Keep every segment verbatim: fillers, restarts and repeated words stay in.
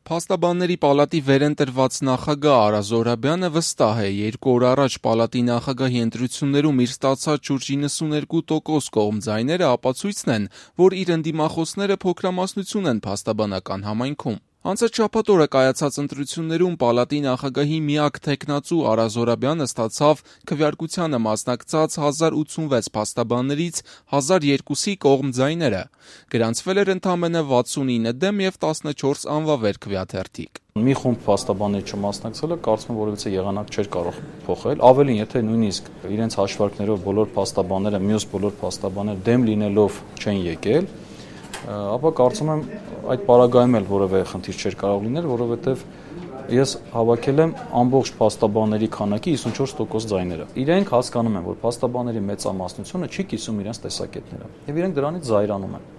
Փաստաբանների պալատի վերընտրված նախագահ Արա Զոհրաբյանը վստահ է, երկու օր առաջ պալատի նախագահի ընտրություններում իր ստացած շուրջ իննսուներկու տոկոս կողմ ձայները ապացույցն են, որ իր ընդդիմախոսները փոքրամասնություն են փաստաբանական համայնքում։ Անցած շաբաթ օրը կայացած ընտրություններում պալատի նախագահի միակ թեկնածու Արա Զոհրաբյանը ստացավ քվեարկությանը մասնակցած հազար ութսունվեց փաստաբաններից հազար երկուսի կողմ ձայները։ Գրանցվել էր ընդամենը վաթսունինը դեմ և տասնչորս անվավեր քվեաթերթիկ։ Մի խումբ փաստաբանների չմասնակցելը կարծում եմ որևիցե եղանակ չէր կարող փոխել, ավելին, եթե նույնիսկ իրենց հաշվարկներով բոլոր փաստաբանները, մյուս բոլոր փաստաբանները դեմ լինելով չեն եկել, ապա կարծում եմ այդ պարագայում էլ որևէ խնդիր չէր կարող լինել, որովհետև ես հավաքել եմ ամբողջ փաստաբանների քանակի հիսունչորս տոկոս ձայները։ Իրենք հասկանում են, որ փաստաբանների մեծամասնությունը չի կիսում իրենց տեսակետները, եւ իրենք դրանից զայրանում են։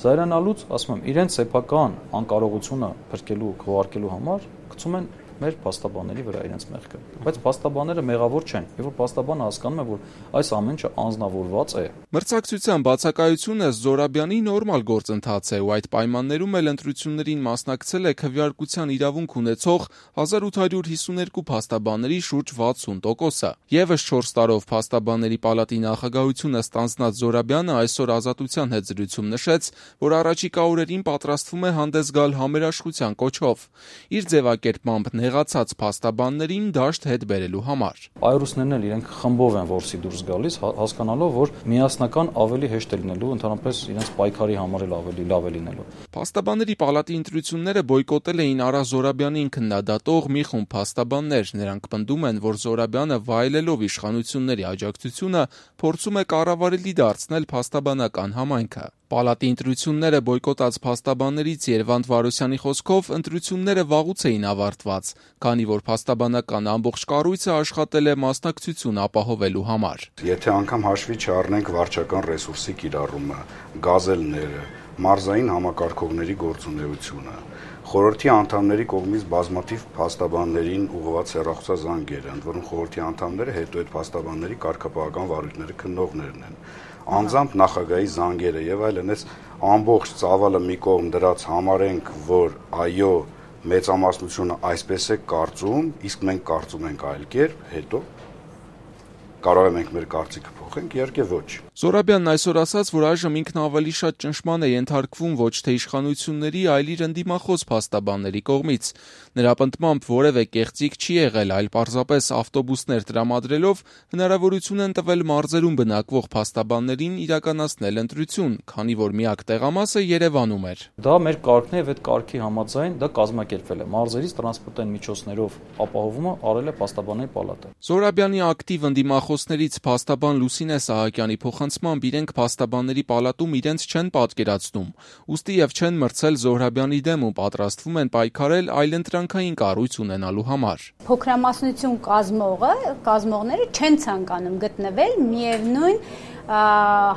Զայրանալուց, ասում եմ, իրենց սեփական անկարողությունը փրկելու, քվեարկելու համար գցում են մեր փաստաբանների վրա իրենց մեղքը։ Բայց փաստաբանները մեղավոր չեն, եւ որ փաստաբանը հասկանում է, որ այս ամեն ինչը անձնավորված է։ Մրցակցության բացակայությունը Զոհրաբյանի նորմալ գործընթաց է, ու այդ պայմաններում էլ ընտրություններին մասնակցել է քվեարկության իրավունք ունեցող հազար ութ հարյուր հիսուներկու փաստաբանների շուրջ վաթսուն տոկոսը։ Եվս չորս տարով փաստաբանների պալատի նախագահությունը ստանձնած Զոհրաբյանը այսօր Ազատության հետ զրույցում նշեց, որ առաջիկա օրերին պատրաստվում է հանդես գալ համերաշխության կոչով։ Իր ձևակերպմամբ նեղացած փաստաբաններին դաշտ հետ բերելու համար։ Այրուսներն էլ իրենք խմբով են որսի դուրս գալիս, հասկանալով, որ միասնական ավելի հեշտ է լինելու, ընդհանրապես իրենց պայքարի համար էլ ավելի լավ է լինելու։ Փաստաբանների պալատի ընտրությունները բոյկոտել էին Արա Զոհրաբյանին քննադատող մի խումբ փաստաբաններ։ Նրանք պնդում են, որ Զոհրաբյանը վայելելով իշխանությունների աջակցությունը փորձում է կառավարելի դարձնել փաստաբանական համայնքը։ Պալատի ընտրությունները բոյկոտած փաստաբաններից Երվանդ Վարոսյանի խոսքով ընտրությունները վաղուց էին ավարտված, քանի որ փաստաբանական ամբողջ կառույցը աշխատել է մասնակցություն ապահովելու համար։ Եթե անգամ հաշվի չառնենք վարչական ռեսուրսի կիրառումը, գազելները, մարզային համակարգողների գործունեությունը, խորհրդի անդամների կողմից բազմաթիվ փաստաբաններին ուղղված հեռախոսազանգերը, ընդ որում խորհրդի անդամները հետո այդ փաստաբանների կարգապահական վարույթները քննողներն են, անձամբ նախագահի զանգերը եւ այլն, այս ամբողջ ծավալը մի կողմ դրած համարենք, որ այո, մեծամասնությունը այսպես է կարծում, իսկ մենք կարծում ենք այլ կերպ, հետո կարող ենք մեր կարծիքը փոխենք, իհարկե ոչ։ Զոհրաբյանն այսօր ասաց, որ այժմ ինքն ավելի շատ ճնշման է ենթարկվում ոչ թե իշխանությունների, այլ իր ընդդիմախոս փաստաբանների կողմից։ Նրա պնդմամբ որևէ կեղծիք չի եղել, այլ պարզապես ավտոբուսներ տրամադրելով հնարավորություն են տվել մարզերում բնակվող փաստաբաններին իրականացնել ընտրություն, քանի որ միակ տեղամասը Երևանում էր։ Դա մեր կարգն է, եւ այդ կարգի համաձայն դա կազմակերպվել է։ Մարզերից տրանսպորտային միջոցներով ապահովումը արել է փաստաբանների պալատը։ Զոհրաբյանի ակտիվ ընդդիմախոսներից փաստաբան Լուսինե Սահակյանի փոխանցմամբ իրենք փաստաբանների պալատում իրենց չեն պատկերացնում, ուստի եւ չեն մրցել Զոհրաբյանի դեմ ու պատրաստվում են պայքարել այլընտրանքային կառույց ունենալու համար։ Փոքրամասնություն կազմողը, կազմողները չեն ցանկանում գտնվել միևնույն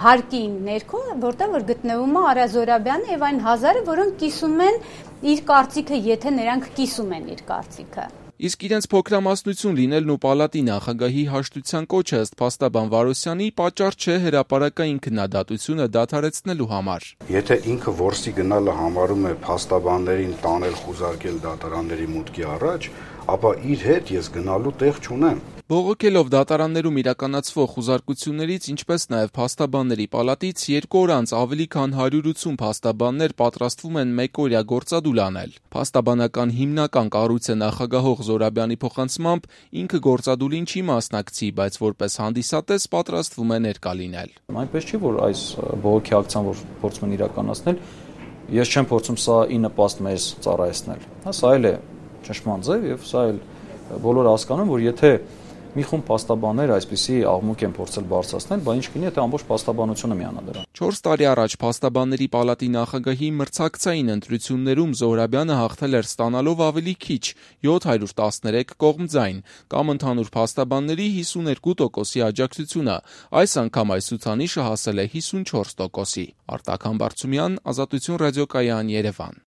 հարկի ներքո, որտեղ որ գտնվում է Արա Զոհրաբյանը եւ այն հազարը, որոնք կիսում են իր կարծիքը, եթե նրանք կիսում են իր կարծիքը։ Իսկ իրենց փոքրամասնություն լինելն ու պալատի նախագահի հաշտության կոչը ըստ փաստաբան Վարոսյանի պատճառ չէ հրապարակային քննադատությունը դադարեցնելու համար։ Եթե ինքը որսի գնալը համարում է փաստաբաններին տանել, խուզարկել դատարանների մուտքի առաջ, ապա իր հետ ես գնալու տեղ չունեմ։ Բողոքելով դատարաններում իրականացվող խուզարկություններից, ինչպես նաև փաստաբանների պալատից երկու օր անց ավելի քան հարյուր ութսուն փաստաբաններ պատրաստվում են մեկօրյա գործադուլ անել։ Փաստաբանական հիմնական կառույցը նախագահող Զոհրաբյանի փոխանցմամբ ինքը գործադուլին չի մասնակցի, բայց որպես հանդիսատես պատրաստվում է ներկա լինել։ Այնպես չի, որ այս բողոքի ակցիան, որ փորձում են իրականացնել, ես չեմ փորձում սա ի նպաստ մեզ ծառայեցնել։ Սա էլ է ճշմարտ ձև, եւ սա էլ բոլորը հասկանում, որ եթե մի խումբ փաստաբաններ այսպիսի աղմուկ են փորձել բարձրացնել, բայց ինչ կլինի, եթե ամբողջ փաստաբանությունը միանա դրան։ չորս տարի առաջ փաստաբանների պալատի նախագահի մրցակցային ընտրություններում Զոհրաբյանը հաղթել էր ստանալով ավելի քիչ յոթ հարյուր տասներեք կողմ ձայն, կամ ընդհանուր փաստաբանների հիսուներկու տոկոսի աջակցությունը։ Այս անգամ այս ցուցանիշը հասել է հիսունչորս տոկոսի։ Արտակ Համբարձումյան, Ազատություն ռադիոկայան, Երևան։